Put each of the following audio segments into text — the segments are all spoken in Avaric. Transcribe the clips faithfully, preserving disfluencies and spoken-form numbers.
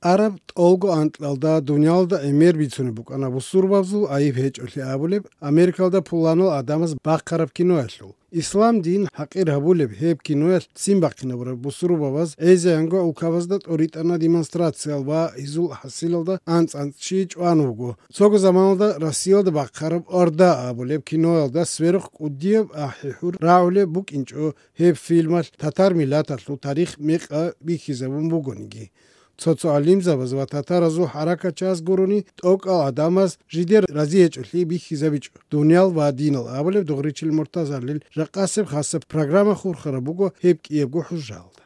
Араб тӀолго анкьалда дуниялда гӀемер бицунеб букӀана бусурбабазул гӀайиб гьечӀолъи абулеб Америкалда пуланал гӀадамаз бахъараб киноялъул. Ислам дин хӀакъир гьабулеб гьеб киноялъ ццин бахъинабураб бусурбабаз гӀезегӀанго улкабазда тӀоритӀана демонстрациял ва гьезул хӀасилалда анцӀ-анцӀ чи чӀван вуго. Цого заманалда Россиялда бахъараб «Орда» абулеб киноялда сверухъ кӀудияб ахӀи-хӀур рагӀулеб букӀинчӀо гьеб фильмалъ татар миллаталъул тарих мекъа бихьизабун бугониги. Цо-цо гӀалимзабаз ва татаразул хӀаракатчияз гурони, тӀокӀал гӀадамаз жидер разиячӀолъи бихьизабичӀо. «Дуниял ва динал» абулеб Дугъричил Муртазалил ракъасеб хасаб программа хурхараб буго гьеб кӀиябго хӀужалда.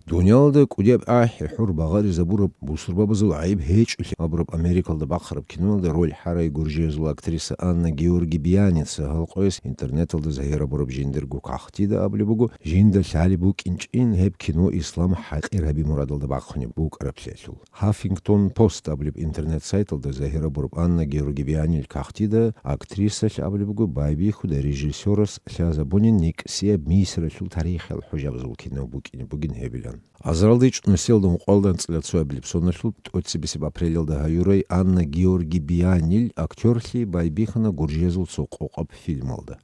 Дуниялда кӀудияб ахӀи-хӀур багъаризабураб бусурбабазул гӀайиб гьечӀолъи абураб Америкалда бахъараб киноялда роль хӀарай гуржиязул актриса Анна Георги Бианица гьалкъояс интернеталда загьирабураб жиндирго кагътида абулеб буго, жинда лъалеб букӀинчӀин гьеб кино ислам хӀакъир гьаби мурадалда бахъунеб букӀараблъиялъул. Huffington Post абулеб интернет-сайталда загьирабураб Анна Георги Бианил кагътида актрисалъ абулеб буго байбихьуда режиссерас лъазабунин никӀсияб Мисралъул тарихиял хӀужабазул кино букӀине бугин гьебилан. Азаралда ичӀ нусиялда ункъоялда анцӀила цоябилеб соналъул тӀоцебесеб апрелалда гьаюрай Анна Георги Бианил актерлъи байбихьана гуржиязул цо къокъаб фильмалда.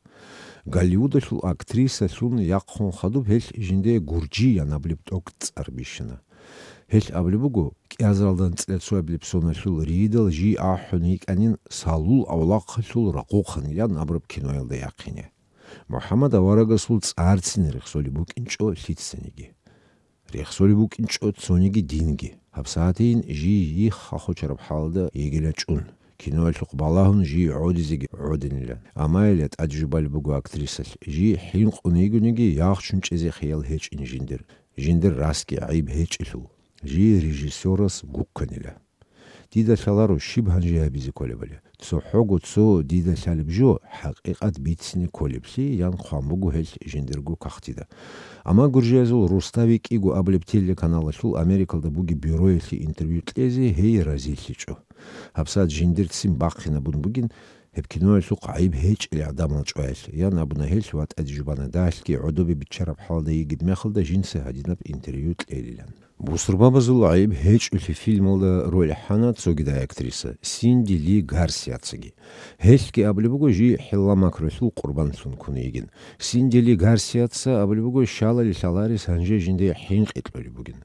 Голливудалъул актрисалъун яхъун хадуб гьелъ жиндие гуржиян абулеб тӀокӀ цӀар бищана. Гьелъ абулеб буго, кӀиазаралда анцӀила цоябилеб соналъул ридал жий ахӀун йикӀанин салул авлахъалъул рагъухъанилан абураб киноялда яхъине. МухӀаммад аварагасул цӀарцин рехсолеб букӀинчӀо лъицаниги. Рехсолеб букӀинчӀо цониги динги. ГьабсагӀатейин жий йихха хочараб хӀалда йигила чӀун. Киноялъухъ балагьун жий гӀодизеги гӀодинила. Амма гьеле тӀаде жубалеб буго актрисалъ, жий хӀинкъун йигониги, яхчун чӀезе хиял гьечӀин жиндир. Жиндир расги гӀайиб гьечӀелъул. Жий режиссерас гукканила. Дида лъаларо щиб гьанже гьабизе кколебали. ЦохӀого цо дида лъалеб жо, хӀакъикъат бицине кколеблъи, ян хъван буго гьелъ жиндирго кагътида. Амма гуржиязул Рустави кӀиго абулеб телеканалалъул Америкалда бугеб бюроялъе интервью кьезе гьей разилъичӀо. ГьабсагӀат жиндирцин бахъинабун бугин, гьеб киноялъухъ гӀайиб гьечӀел гӀадамал чӀваялъ, ян абуна гьелъ ва тӀаде жубана дагьлъги гӀодобе биччараб хӀалда йигеб мехалда жинца гьадинаб интервью кьелилан. Бусурбабазул гӀайиб гьечӀолъи фильмалда роль хӀана цогидай актриса Синди Ли Гарсиацаги. Гьелъги абулеб буго жий хӀилла-макрулъул къурбанлъун ккун йигин. Синди Ли Гарсиаца абулеб буго щалали лъаларес гьанже жинде хӀинкъи кьолеб бугин.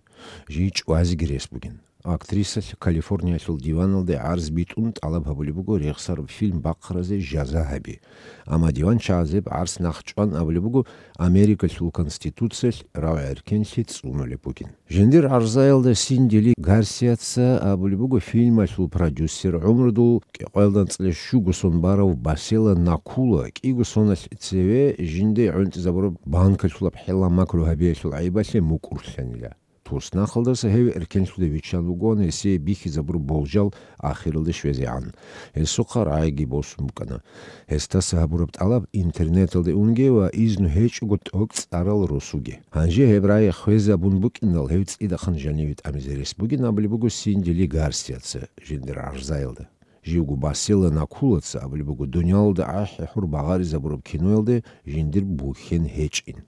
Жий чӀвазеги рес бугин. Актрисалъ Калифорниялъул диваналде гӀарз битӀун тӀалаб гьабулеб буго рехсараб фильм бахъаразе жаза гьаби. Амма диванчагӀаз гьеб гӀарц нахъчӀван абулеб буго Америкалъул Конституциялъ рагӀи-эркенлъи цӀунулеб бугин. Жиндир гӀарзаялда Синди Ли Гарсиаца абулеб буго фильмалъул продюсер, гӀумрудул кӀикъоялда анцӀила щуго сон барав Басела Накула кӀиго соналъ цеве жинде гӀунтӀизабураб банкалъулаб хӀилла-макру гьабиялъул гӀайибалъе мукӀурлъанила. Туснахалдаса гьев эркенлъуде виччан вугоан гьесие бихьизабураб болжал ахиралде щвезегӀан. Гьесухъа рагӀиги босун букӀана. Гьесдаса гьабураб тӀалаб интернеталде унге ва изну гьечӀого тӀокӀ цӀарал росуге. Гьанже гьеб рагӀи хвезабун букӀиндал, гьев цӀидахъан жаниве тӀамизе рес бугин абулеб буго Синди Ли Гарсиаца жиндир гӀарзаялда. Живго Басела Накулаца абулеб буго дуниялалда ахӀи-хӀур багъаризабураб киноялде жиндир бухьен гьечӀин.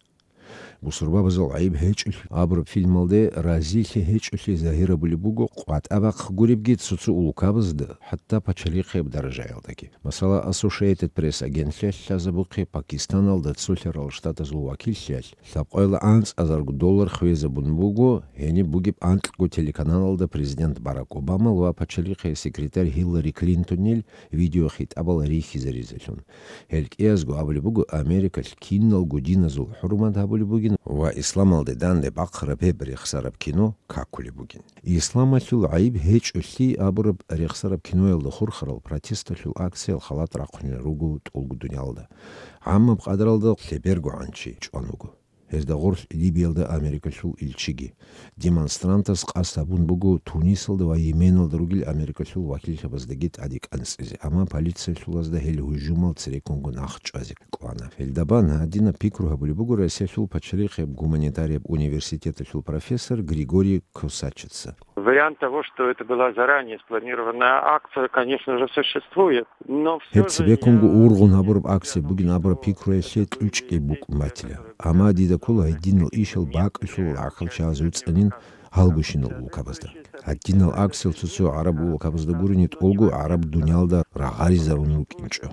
Бусурбабазул гӀайиб гьечӀолъи абураб фильмалде разилъи гьечӀолъи загьирабулеб буго къватӀа бахъ гуребги цо-цо улкабазда, хӀатта пачалихъияб даражаялдаги. Масала, Associated Press агентлъиялъ лъазабухъе Пакистаналда цолъарал штатазул вакиллъиялъ лъабкъоялда анцӀазарго доллар хвезабун буго гьениб бугеб анкьго телеканалалда президент Барак Обамал ва пачалихъе секретарь Хиллари Клинтонил видеохитӀабал рихьизаризелъун. Гьел кӀиязго абулеб буго Америкалъ киналго диназул хӀурмат гьабулеб бугин ва исламалде данде бахъараб гьеб рехсараб кино какулеб бугин. Исламалъул гӀайиб гьечӀолъи абураб рехсараб киноялда хурхарал протесталъул акциял халат рахъунел руго тӀолго дуниялда. ГӀаммаб къадралда лъебергогӀан чи чӀван вуго. Гьезда гъорлъ Либиялда Америкалъул илчиги. Демонстрантаз къасд гьабун буго Тунисалда ва Йеменалда ругел Америкалъул вакиллъабаздаги тӀаде кӀанцӀизе, амма полициялъулазда гьел гьужумал цереккунго нахъчӀвазе кӀвана. Гьелда бан гьадинаб пикру гьабулеб буго Россиялъул пачалихъияб гуманитарияб университеталъул профессор Григорий Косачица. Вариант того, что это была заранее спланированная акция, конечно же, существует, но всё Гьеб же цебеккунго я ургъун гьабураб акция бугин абураб пикруялъе кьучӀги букӀун батила. Амма дида ккола гьединал ишал бакӀалъул рахъалчагӀаз вуцӀанин, гьалгощинал улкабазда. Гьадинал аксел цо-цо гӀараб улкабазда гурони тӀолго гӀараб дуниялда рагъаризарун рукӀинчӀо.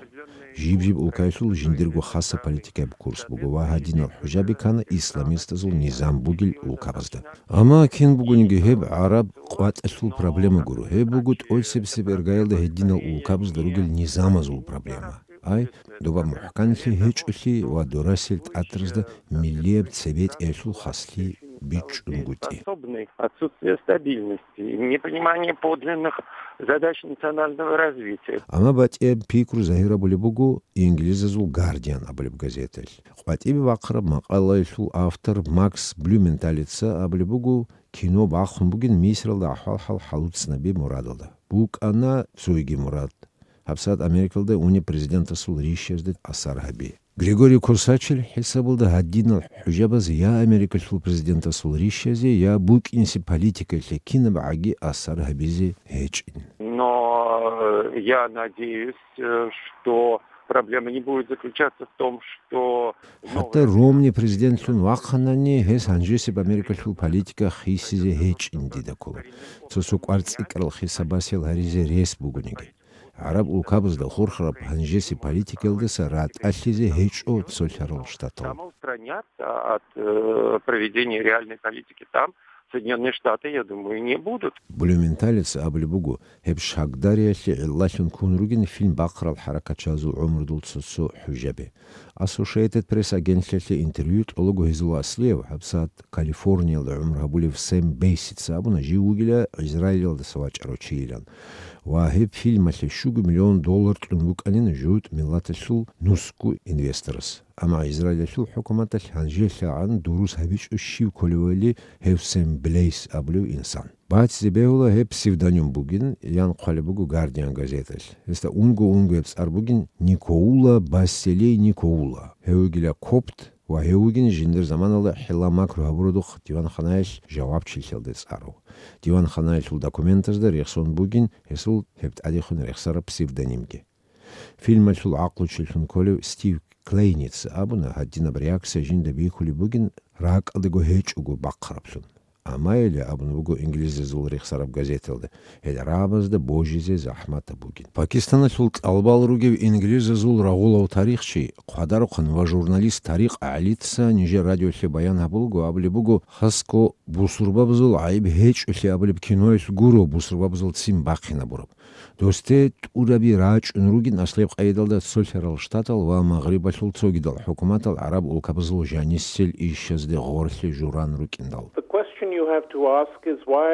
Жиб-жиб улкаялъул жиндирго хаса политикаяб курс буго ва гьадинал хӀужаби ккана исламистазул низам бугел улкабазда. Амма кин бугониги гьеб гӀараб къватӀалъул проблема гуро. Гьеб буго тӀоцебсеб иргаялда гьединал улкабазда ругел низамазул проблема. Ай, доба мухӀканлъи гьечӀолъи ва дорасел тӀатразда миллияб цебетӀиялъул хаслъи бичӀчӀунгутӀи. Способный, отсутствие стабильности, непонимание подлинных задач национального развития. Амма батӀияб пикру загьир абулеб буго инглизазул Guardian абулеб газеталъ. КъватӀибе бахъараб макъалаялъул автор Макс Блюменталица абулеб буго, кино бахъун бугин Мисралда ахӀвал-хӀал хӀалуцӀцӀинаби мурадалда. БукӀана цойги мурад. ГьабсагӀат Америкалда унеб президентасул рищазде асар гьаби. Григорий Косачил хӀисабалда гьадинал хӀужабаз я Америкалъул президентасул рищазе, я букӀинси политикалъе кинабгӀаги асар гьабизе гьечӀин. Но, э, я надеюсь, э, что проблема не будет заключаться в том, что ХӀатта Ромни президентлъун вахъанани, гьес гьанжесеб Америкалъул политика хисизе гьечӀин дида ккола. Цо-цо кӀварцӀикӀкӀарал хисабасел гьаризе рес бугониги. ГӀараб улкабазда хурхараб гьанжесеб политикаялдаса ратӀалъизе гьечӀо цолъарал штатал. Самоустранятся от, э, проведения реальной политики там Соединённые Штаты, я думаю, не будут. Блюменталица абулеб буго, гьеб шагдариялъе гӀиллалъун ккун ругин фильм бахъарал хӀаракатчиязул гӀумрудул цо-цо хӀужаби. Associated Press агентлъиялъе интервью тӀолого гьезул аслияв, гьабсагӀат Калифорниялда гӀумру гьабулев Сэм Бейсица абуна, жив вугила Израилалдаса вачӀарав чийилан. Ва гьеб фильмалъе щуго миллион доллар кьун букӀанин жугьутӀ миллаталъул нусго инвесторас. Амма Израилалъул хӀукуматалъ гьанжелъагӀан дурус гьабичӀо щив кколевали гьев Сэм Блейс абулев инсан. Бацде бегьула гьеб псевдоним бугин, ян хъвалеб буго Guardian газеталъ. Гьесда унго-унгояб цӀар бугин Никоула Басселей Никоула. Гьев вугила копт ва гьев вугин жиндир заманалда хӀилла-макру гьабурадухъ диванханаялъ жавабчилъиялде цӀарав. Диванханаялъул документазда рехсон бугин гьесул гьеб тӀадехун рехсараб псевдонимги. Фильмалъул гӀакълучилъун кколев Стив Клейница абуна, гьадинаб реакция жинда бихьулеб бугин ракӀалдаго гьечӀого бахъараблъун. Амма гьеле абун буго инглизазул рехсараб газеталда, гьел гӀарабазда божизе захӀматаб бугин. Пакистаналъул тӀалабал ругев инглизазул рагъулав тарихчи, хъвадарухъан ва журналист Тарикъ ГӀалица нижер радиолъе баян гьабулго, абулеб буго, хасго бусурбабазул гӀайиб гьечӀолъи абулеб киноялъ гуро бусурбабазул ццин бахъинабураб. Досде тӀураби рачӀун ругин аслеб къайдалда цолъарал штатал ва Магърибалъул цогидал хӀукуматал гӀараб улкабазул жанисел ишазде гъорлъе журан рукӀиндал. The question you have to ask is why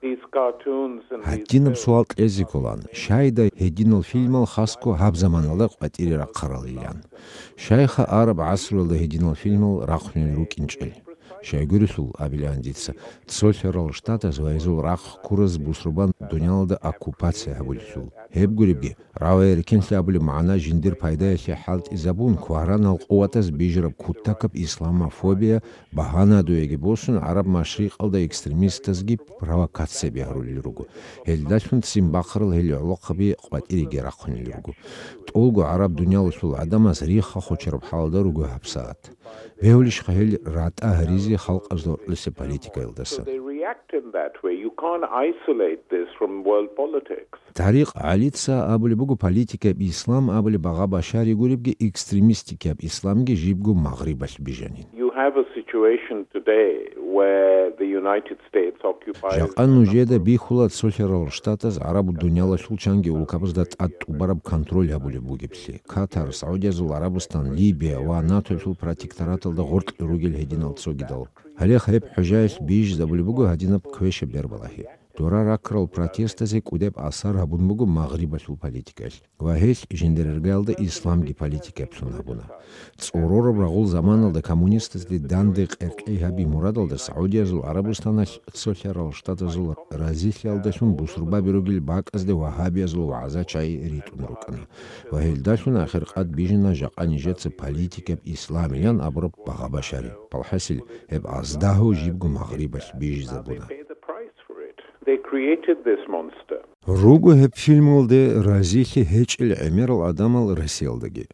these cartoons and these Гьадинаб суал кьезе кколан, щайда гьединал фильмал хасго гьаб заманалда къватӀире рахъаралилан? Щайха араб гӀасруялда гьединал фильмал рахъунел рукӀинчӀел? Щайгурелъул, абилан дица, цолъарал штатаз ва гьезул рахъ ккураз бусурбан дуниялалда оккупация гьабулелъул. Гьеб гуребги, рагӀи-рекенлъи абулеб магӀна жиндир пайдаялъе хӀалтӀизабун, кваранал къуватаз бижараб кутакаб исламофобия багьанадуеги босун, ГӀараб Машрикъалда экстремистазги провокацияби гьарулел руго. Гьелдалъун ццин бахъарал гьел гӀолохъаби къватӀиреги рахъунел руго. ТӀолго гӀараб дуниялалъул гӀадамаз рихха хочараб хӀалда руго гьабсагӀат. Бегьулищха гьел ратӀа гьаризе халкъазда гьоркьоса политикаялдаса? They react in that way. You can't isolate this from world politics. Тарикъ ГӀалица абулеб буго, политикаб ислам абулеб багъа башари гуребги, экстремистикаб исламги жибго Магърибалъ бижанин. You have a situation today where the United States occupies Жакъа нужеда бихьула цолъарал штатаз гӀараб дуниялалъул чанги улкабазда тӀад тӀубараб контроль гьабулеб бугеблъи. Катар, СагӀудиязул ГӀарабустан, Либия ва НАТОлъул протектораталда гъоркье ругел гьединал цогидал. Гьале гьеб хӀужаялъ бижизабулеб буго гьадинаб квешаб бербалагьи. Дора ракрал протестазе кӀудеб асар гьабун буго Магърибалъул политикаялъ ва гьелъ жиндир иргаялда исламги политикаблъун гьабуна. ЦӀорораб рагъул заманалда коммунистазде данде къеркьей гьаби мурадалда СагӀудиязул ГӀарабустаналъ цолъарал штатазул разилъиялдалъун бусурбаби ругел бакӀазде вагьабиязул вагӀза-чагӀи ритӀун рукӀана ва гьелдалъун ахиркъад бижана жакъа нижеца политикаб исламилан абураб багъа башари. Балхасил, гьеб аздагьу жибго Магърибалъ бижизабуна. They created this monster. Руго гьеб фильмалде разилъи гьечӀел гӀемерал гӀадамал Россиялдаги.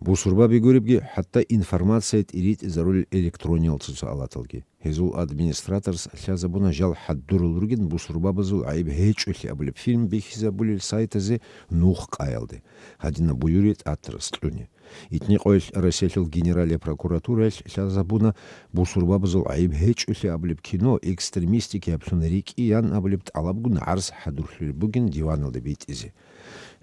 Бусурбаби гуребги, хӀатта информация тӀиритӀизарулел электрониял цоцаалаталги. Гьезул администраторас лъазабуна жал хӀадурал ругин бусурбабазул гӀайиб гьечӀолъи абулеб фильм бихьизабулел сайтазе нух къаялде, гьадинаб буюри тӀатарас кьуни. Итни къоялъ Россиялъул Генералия прокуратураялъ лъазабуна бусурбабазул гӀайиб гьечӀолъи абулеб кино экстремистикиаблъун рикӀкӀиян абулеб тӀалабгун гӀарз хӀадурлъулеб бугин диваналде битӀизе.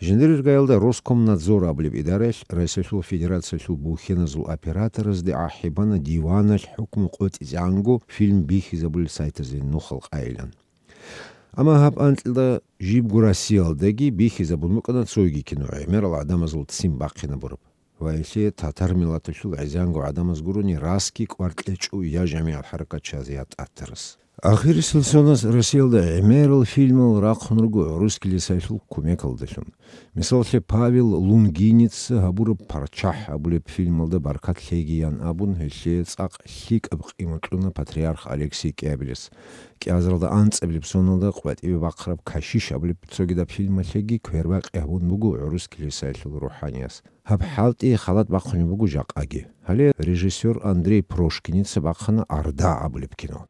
Жиндир иргаялда Роскомнадзор абулеб идараялъ Россиялъул Федерациялъул бухьеназул операторазде ахӀи бана диваналъ хӀукму къотӀизегӀанго фильм бихьизабулел сайтазе нухал къайилан. Амма гьаб анкьилда жибго Россиялдаги бихьизабун букӀана цоги кино, гӀемерал гӀадамазул ццин бахъинабураб. Ва гьелъие татар миллаталъул гӀезегӀанго гӀадамаз гурони расги кӀвар кьечӀо я жамигӀал хӀаракатчияз, я тӀатарас. Ахирисел соназ Россиялда гӀемерал фильмал рахъун руго гӀурус килисаялъул кумекалдалъун. Мисаллъи, Павел Лунгиница гьабураб «ПарччахӀ» абулеб фильмалда баркат лъегиян абун, гьелъие цӀакъ лъикӀаб къимат кьуна патриарх Алексий КӀиабилес. КӀиазаралда анцӀабилеб соналда къватӀибе бахъараб «Кашиш» абулеб цогидаб фильмалъеги квербакъи гьабун буго гӀурус килисаялъул рухӀаниязда. Гьаб хӀалтӀи халат бахъунеб буго жакъаги. Гьале режиссёр Андрей Прошкиница бахъана «Орда» абулеб кино.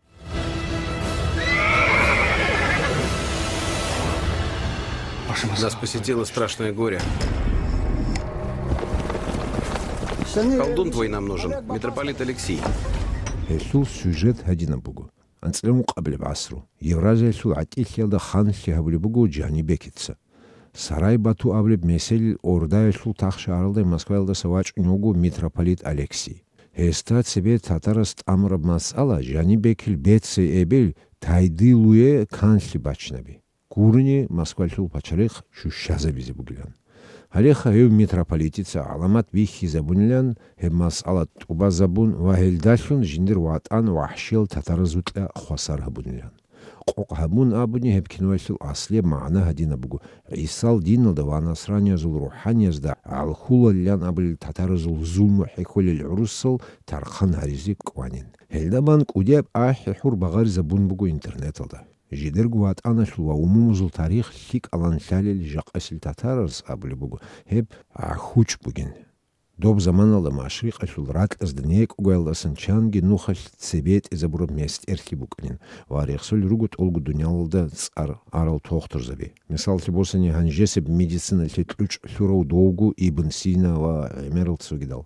Нас посетило страшное горе. Колдун твой нам нужен, митрополит Алексий. Гьелъул сюжет гьадинаб буго. АнцӀила ункъабилеб гӀасру. Евразиялъул гӀатӀилъиялда ханлъи гьабулеб буго Жанибекица. Сарай-Бату абулеб меселил Ордаялъул тахшагьаралда Москваялдаса вачӀунев вуго митрополит Алексий. Гьесда цебе татарас тӀамураб масъала Жанибекил бецей эбел Тайдилуе канлъи бачинаби. Гурони Москвалъул пачалихъ щущазабизе бугилан. Гьалеха гьев митрополитица гӀаламат бихьизабунилан, гьеб масъала тӀубазабун ва гьелдалъун жиндир ватӀан вахӀшиял татаразукьа хвасар гьабунилан. Къокъ гьабун абуни, гьеб киноялъул аслияб магӀна гьадинаб буго: ГӀисал диналда ва насраниязул рухӀаниязда гӀалхулалилан абулел татаразул зулму хӀехьолел гӀурусал тархъан гьаризе кӀванин. Гьелда бан кӀудияб ахӀи-хӀур багъаризабун буго интернеталда. Жидерго ватӀаналъул ва умумузул тарих лъикӀалан лъалел жакъасел татараз абулеб буго гьеб гӀахьучӀ бугин. Доб заманалда машрикъалъул ракьазда некӀогоялдасан чанги нухалъ цебе тӀезабураб местӀерлъи букӀанин ва рехсолел руго тӀолго дуниялалда цӀар арал тохтурзаби. Мисаллъи босани, гьанжесеб медициналъе кьучӀ лъурав довго Ибн Сина ва гӀемерал цогидал.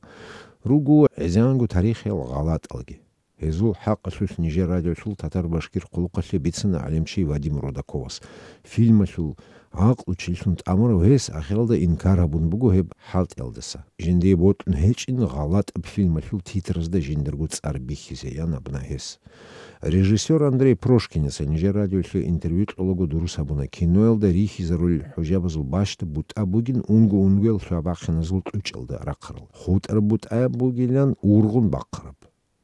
Руго гӀезегӀанго тарихиял гъалатӀалги. Гьезул хӀакъалъулъ нижер радиолъул татар-башкир къулухъалъе бицана гӀалимчи Вадим Родаковас. Фильмалъул гӀакълу чилъун тӀамурав гьес ахиралда инкар гьабун буго гьеб хӀалтӀиялдаса. Жиндие бокьун гьечӀин гъалатӀаб фильмалъул титразда жиндирго цӀар бихьизеян абуна гьес. Режиссёр Андрей Прошкиница нижер радиолъе интервью кьолаго дурус гьабуна киноялда рихьизарулел хӀужабазул бащда бутӀа бугин унго-унгоял лъабахъиназул кьучӀалда рахъарал. ХутӀараб бутӀаяб бугилан ургъун бахъараб.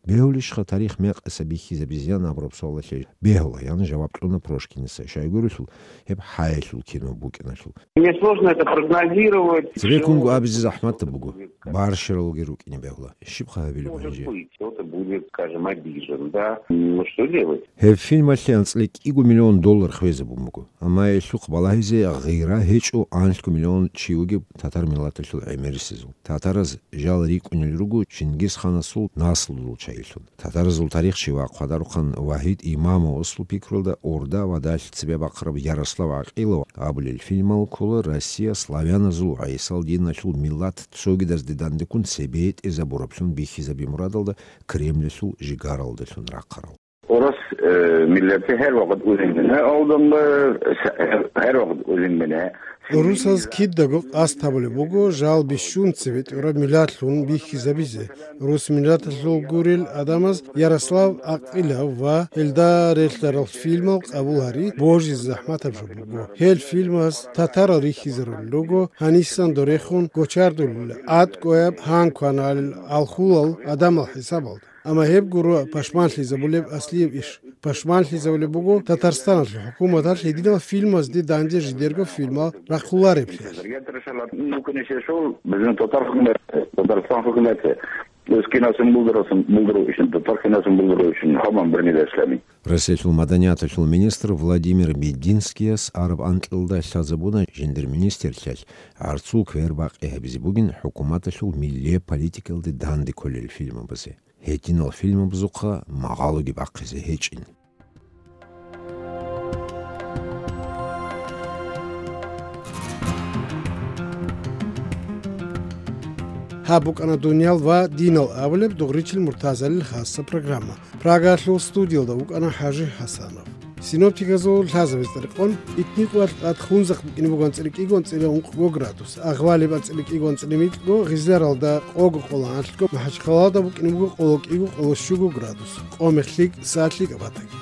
Бегьулищха тарих мекъаса бихьизабизеян абураб суалалъе? Бегьула, ян жаваб кьуна Прошкиница, щайгурелъул гьеб хӀаялъул кино букӀиналъул. Мне сложно это прогнозировать. Цебеккунго абизе захӀматаб буго. Барщаралги рукӀине бегьула. Щибха гьабилеб гьанже? Может быть, кто-то будет, скажем, обижен, да? Ну, что делать? Гьеб фильмалъе анцӀила кӀиго миллион доллар хвезабун буго. Амма гьелъухъ балагьизе гъира гьечӀо анлъго миллион чи вугеб татар миллаталъул гӀемерисезул. Татараз жал рикӀкӀунел руго Чингисханасул наслуялъул чагӀилъун. Татаразул тарихчи ва хъвадарухъан Вагьид Имамовасул пикруялда, Орда ва далъ цебе бахъараб Ярослав ГӀакъилов абулел фильмал ккола Россия славяназул ва гӀисал диналъул миллат цогидазде дандеккун цебе тӀезабураблъун бихьизаби мурадалда Кремльалъул жигаралдалъун рахъарал. Урус, э, миллати гьар вакъат улин мина, алдамба, гьар вакъат улин мина. Урусаз кидаго къасд гьабулеб буго жал бищун цебе тӀураб миллатлъун бихьизабизе. Урус миллаталъул гурел адамаз Ярослав ГӀакъилов ва гьелда релълъарал фильмал къабул гьари божизе захӀматаб жо буго. Гьел фильмаз татарал рихьизарулел руго, гьанисан дорехун гочардулел, тӀадкъояб гьан кваналел алхулал гӀадамал хӀисабалда. Амма гьеб гуро пашманлъизабулеб аслияб иш. Пашманлъизабулеб буго Татарстаналъул хӀукуматалъ гьединал фильмазде данде жидерго фильмал рахъулареблъиялъ. Ну, конечно, шел, безин татар хукумат, Татарстан хукумат. Өз кинасын булдырасун, булдыру ишин, татар кинасын булдыру ишин, хаман бир миллетлъани. Россиялъул маданияталъул министр Владимир Мединскияс араб анкьалда лъазабуна жиндир министрлъиялъ гӀарцул квер бакъи гьабизе бугин хӀукуматалъул миллияб политикалде данде кколел фильмабазе. гьединал фильмабазухъа магъалоги бахъизе гьечӀин. Гьаб букӀана «Дуниял ва динал» абулеб дугъричил Муртазалил хасса программа. Прагаялъул студиялда вукӀана ХӀажи ХӀасанов. Синоптиказул лъазабиз тӀеркъон, Итникъоялъ тӀад хунзахъ букӀине буго анцӀила кӀиго анцӀила ункъго градус, Агъвалиб анцӀила кӀиго анцӀила микьго, Гъизларалда къого къоло анлъго, МахӀачхъалада букӀине буго къоло кӀиго къоло щуго градус, къо-мех лъикӀ, сагӀат лъикӀаб батаги.